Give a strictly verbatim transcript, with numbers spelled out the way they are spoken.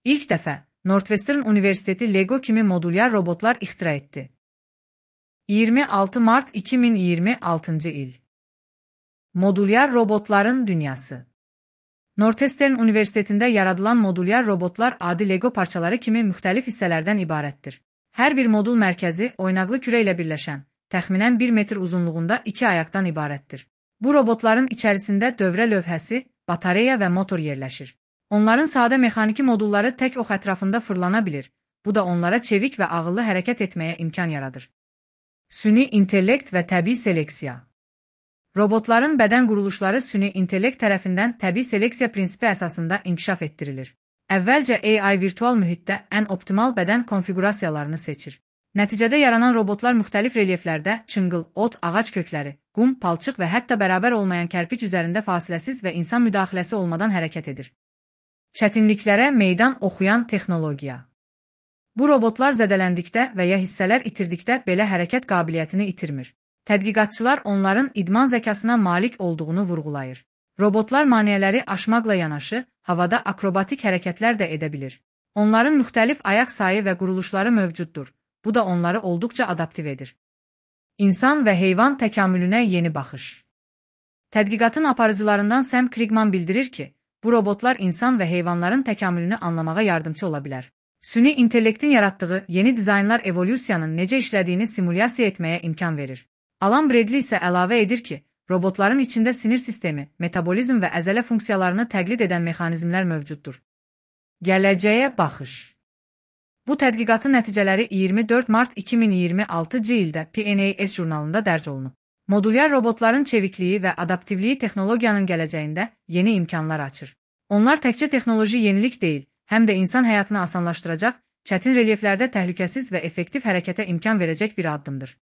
İlk dəfə Northwestern Universiteti Lego kimi modulyar robotlar ixtira etdi. iyirmi altı mart iki min iyirmi altıncı il. Modulyar robotların dünyası. Northwestern Universitetində yaradılan modulyar robotlar adi Lego parçaları kimi müxtəlif hissələrdən ibarətdir. Hər bir modul mərkəzi oynaqlı kürə ilə birləşən, təxminən bir metr uzunluğunda iki ayaqdan ibarətdir. Bu robotların içərisində dövrə lövhəsi, batareya və motor yerləşir. Onların sadə mexaniki modulları tək ox ətrafında fırlana bilir. Bu da onlara çevik və ağıllı hərəkət etməyə imkan yaradır. Süni intellekt və təbii seleksiya. Robotların bədən quruluşları süni intellekt tərəfindən təbii seleksiya prinsipi əsasında inkişaf etdirilir. Əvvəlcə A I virtual mühitdə ən optimal bədən konfigurasiyalarını seçir. Nəticədə yaranan robotlar müxtəlif relyeflərdə çınqıl, ot, ağac kökləri, qum, palçıq və hətta bərabər olmayan kərpic üzərində fasiləsiz və insan müdaxiləsi olmadan hərəkət edir. Çətinliklərə meydan oxuyan texnologiya. Bu robotlar zədələndikdə və ya hissələr itirdikdə belə hərəkət qabiliyyətini itirmir. Tədqiqatçılar onların idman zəkasına malik olduğunu vurğulayır. Robotlar maneələri aşmaqla yanaşı, havada akrobatik hərəkətlər də edə bilir. Onların müxtəlif ayaq sayı və quruluşları mövcuddur. Bu da onları olduqca adaptiv edir. İnsan və heyvan təkamülünə yeni baxış. Tədqiqatın aparıcılarından Sam Krigman bildirir ki, bu robotlar insan və heyvanların təkamülünü anlamağa yardımcı ola bilər. Süni intellektin yaratdığı yeni dizaynlar evolyusiyanın necə işlədiyini simulyasiya etməyə imkan verir. Alan Bradley isə əlavə edir ki, robotların içində sinir sistemi, metabolizm və əzələ funksiyalarını təqlid edən mexanizmlər mövcuddur. Gələcəyə baxış. Bu tədqiqatın nəticələri iyirmi dörd mart iki min iyirmi altıncı ildə P N A S jurnalında dərc olunub. Modulyar robotların çevikliyi və adaptivliyi texnologiyanın gələcəyində yeni imkanlar açır. Onlar təkcə texnoloji yenilik deyil, həm də insan həyatını asanlaşdıracaq, çətin relyeflərdə təhlükəsiz və effektiv hərəkətə imkan verəcək bir addımdır.